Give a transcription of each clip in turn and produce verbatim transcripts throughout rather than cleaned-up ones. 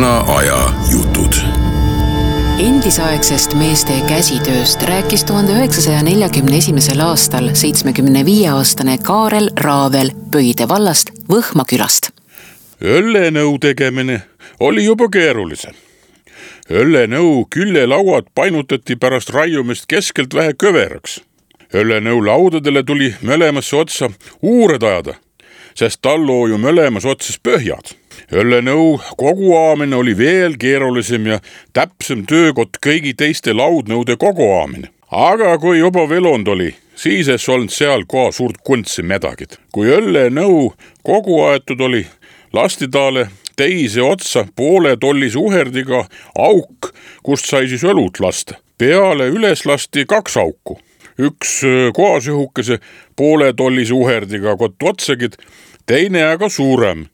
Vana aja jutud. Endisaegsest meeste käsitööst rääkis tuhande üheksasaja neljakümne esimesel aastal seitsmekümne viie aastane Kaarel Raavel Pöide vallast Võhma külast. Õllenõu tegemine oli juba keerulisem. Õllenõu küljelauad painutati pärast raiumist keskelt vähe köveraks. Õllenõu laudadele tuli mõlemasse otsa uured ajada, sest talloo ju mõlemas otsas põhjad. Õllenõu koguaamine oli veel keerulisem ja täpsem töökott kõigi teiste laudnõude koguaamine. Aga kui juba velond oli, siis ei olnud seal koha suurt kuntsi medagid. Kui õllenõu kogu aetud oli, lasti taale teise otsa poole tollise uherdiga auk, kust sai siis õlut lasta. Peale üles lasti kaks auku. Üks koasühukese poole tollise uherdiga kott otsagid, teine aga suurem,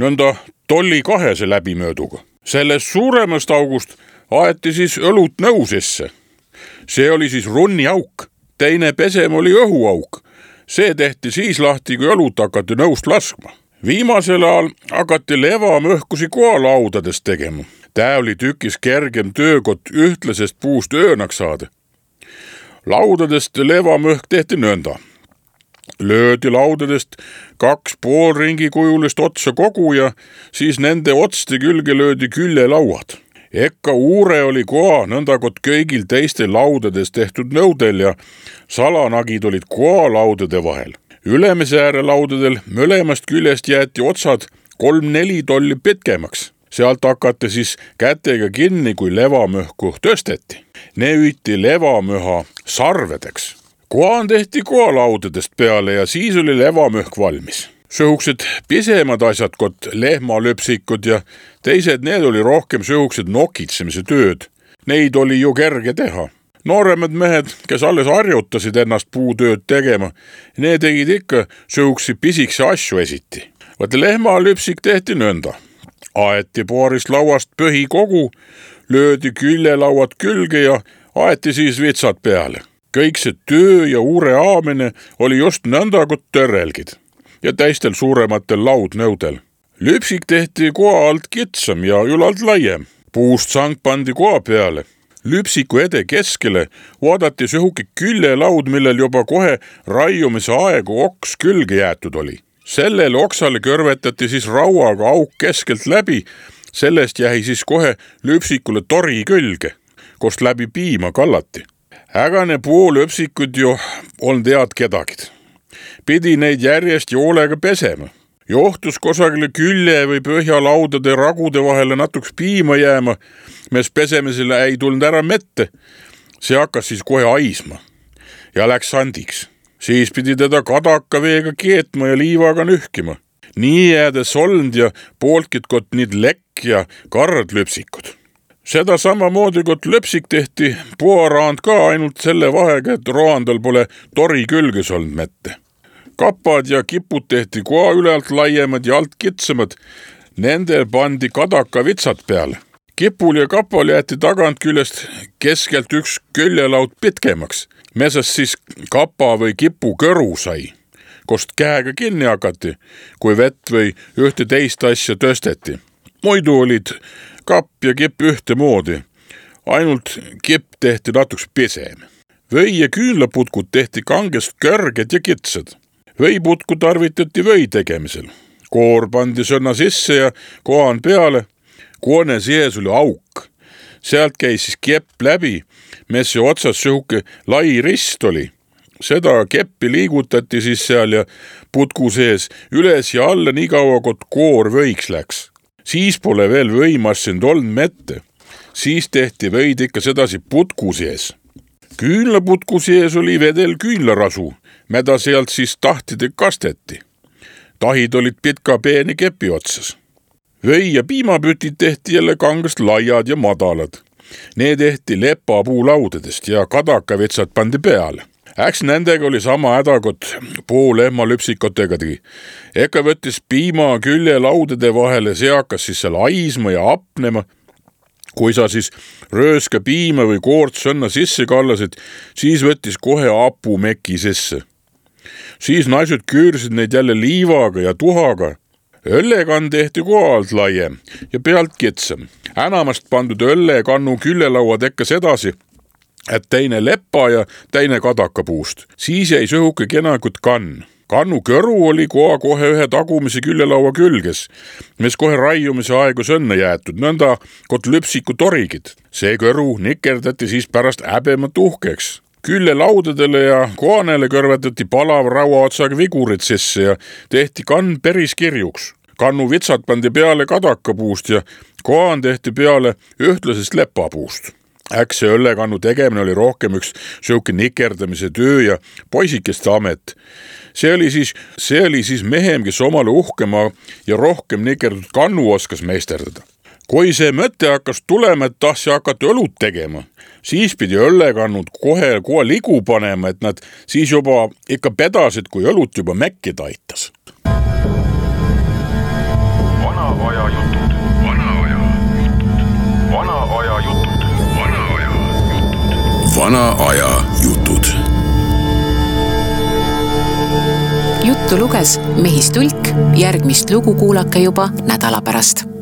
nõnda tolli kahese läbimööduga. Sellest suuremast august aeti siis õlut nõu sisse. See oli siis runni auk, teine pesem oli õhuauk. See tehti siis lahti, kui õlut hakati nõust laskma. Viimasel ajal hakati levamõhkusi koalaudadest tegema. Tää oli tükis kergem töökott ühtlasest puust öönaks saada. Laudadest levamõhk tehti nõnda. Löödi laudadest kaks poolringi kujulist otsa kogu ja siis nende otste külge löödi küljelauad. Ekka uure oli koa nõndakot kõigil teiste laudades tehtud nõudel ja salanagid olid koa laudade vahel. Ülemise ääre laudadel mõlemast küljest jäeti otsad kolm-neli tolli pitkemaks. Sealt hakati siis kätega kinni, kui levamõhku tõsteti. Ne üiti levamõha sarvedeks. Koan tehti koalaudadest peale ja siis oli levamõhk valmis. Sõhuksed pisemad asjad, kot lehmalöpsikud ja teised, need oli rohkem sõhuksed nokitsemise tööd. Neid oli ju kerge teha. Nooremad mehed, kes alles harjutasid ennast puutööd tegema, need tegid ikka sõhuksi pisikse asju esiti. Vaat lehmalöpsik tehti nõnda. Aeti paarist lauast põhi kogu, löödi küljelauad külge ja aeti siis vitsad peale. Kõik see töö ja uure aamine oli just nõnda kui törrelgid ja teistel suurematel laudnõudel. Lüpsik tehti koa alt kitsam ja ülalt laiem. Puust sang pandi koa peale. Lüpsiku ede keskele vaadati sõhuki küljelaud, millel juba kohe raiumise aegu oks külge jäetud oli. Sellele oksale kõrvetati siis rauaga auk keskelt läbi, sellest jäi siis kohe lüpsikule tori külge, kost läbi piima kallati. Ägane pool öpsikud ju on tead kedagid. Pidi neid järjest joolega pesema. Johtus kosagile külje või põhjalaudade ragude vahele natuks piima jääma, mes pesemisele ei tulnud ära mette. See hakkas siis kohe aisma ja läks sandiks. Siis pidi teda kadaka veega keetma ja liivaga nühkima. Nii jäädes olnud ja pooltkid kot niid lekk ja karrad lüpsikud. Seda samamoodi kot löpsik tehti puaraand ka ainult selle vahega, et roandal pole tori külges olnud mette. Kapad ja kipud tehti koa ülalt laiemad ja alt kitsamad, nendel pandi kadaka vitsad peale. Kipul ja kapal jäeti tagant küljest keskelt üks küljelaud pitkemaks, mesas siis kapa või kipu kõru sai, kost käega kinni hakati, kui vett või ühte teist asja tõsteti. Muidu olid kapp ja kipp ühte moodi, ainult kipp tehti natuks pisem. Või ja küünlaputkud tehti kangest kõrged ja kitsad. Võiputku tarvitati või tegemisel. Koor pandi sõna sisse ja koan peale. Koone sees oli auk. Sealt käis siis kepp läbi, messi otsas sõhuke lai rist oli. Seda keppi liigutati siis seal ja putku sees üles ja alla nii kaua, kot koor võiks läks. Siis pole veel võimassind olnud mette. Siis tehti võid ikka sedasi putku sees. Küünlaputku sees oli vedel küünlarasu, mida sealt siis tahtide kasteti. Tahid olid pitka peeni kepi otsas. Või ja piimapütid tehti jälle kangast laiad ja madalad. Need tehti lepapuulaudadest ja kadakavitsad pandi peale. Äks nendega oli sama häda, kot pool lehmalüpsikotega tegi. Eka võttis piima külje laudade vahele, see hakkas siis seal aisma ja apnema. Kui sa siis rööska piima või koort sõnna sisse kallasid, siis võttis kohe apu meki sisse. Siis naised küürsid neid jälle liivaga ja tuhaga. Õllekann tehti koalt laiem ja pealt kitsam. Enamast pandud õllekannu küllelaua tekkas edasi, et teine leppa ja teine kadakapuust. Siis jäi sõhuke kenakut kann. Kannu kõru oli koha kohe ühe tagumise küllelaua külges, mis kohe raiumise aegus õnne jäetud, nõnda kot lüpsiku torigid. See kõru nikerdati siis pärast häbemat uhkeks. Küllelaudadele ja koanele kõrvetati palav rauaotsaga vigurid sisse ja tehti kann päris kirjuks. Kannu vitsad pandi peale kadakapuust ja koan tehti peale ühtlasest lepapuust. Äks see õllekannu tegemine oli rohkem üks sõuke nikerdamise töö ja poisikeste amet. See oli siis, see oli siis mehem, kes omale uhkema ja rohkem nikerdud kannu oskas meisterdada. Kui see mõte hakkas tulema, et tahsi hakata õlut tegema, siis pidi õllekannud kohe kohe ligu panema, et nad siis juba ikka pedasid, kui õlut juba mäkki taitas. Vana aja jutud, vana aja jutud, vana aja jutud, vana aja jutud. Vana aja jutud. Juttu luges Mehis Tulk, järgmist lugu kuulake juba nädala pärast.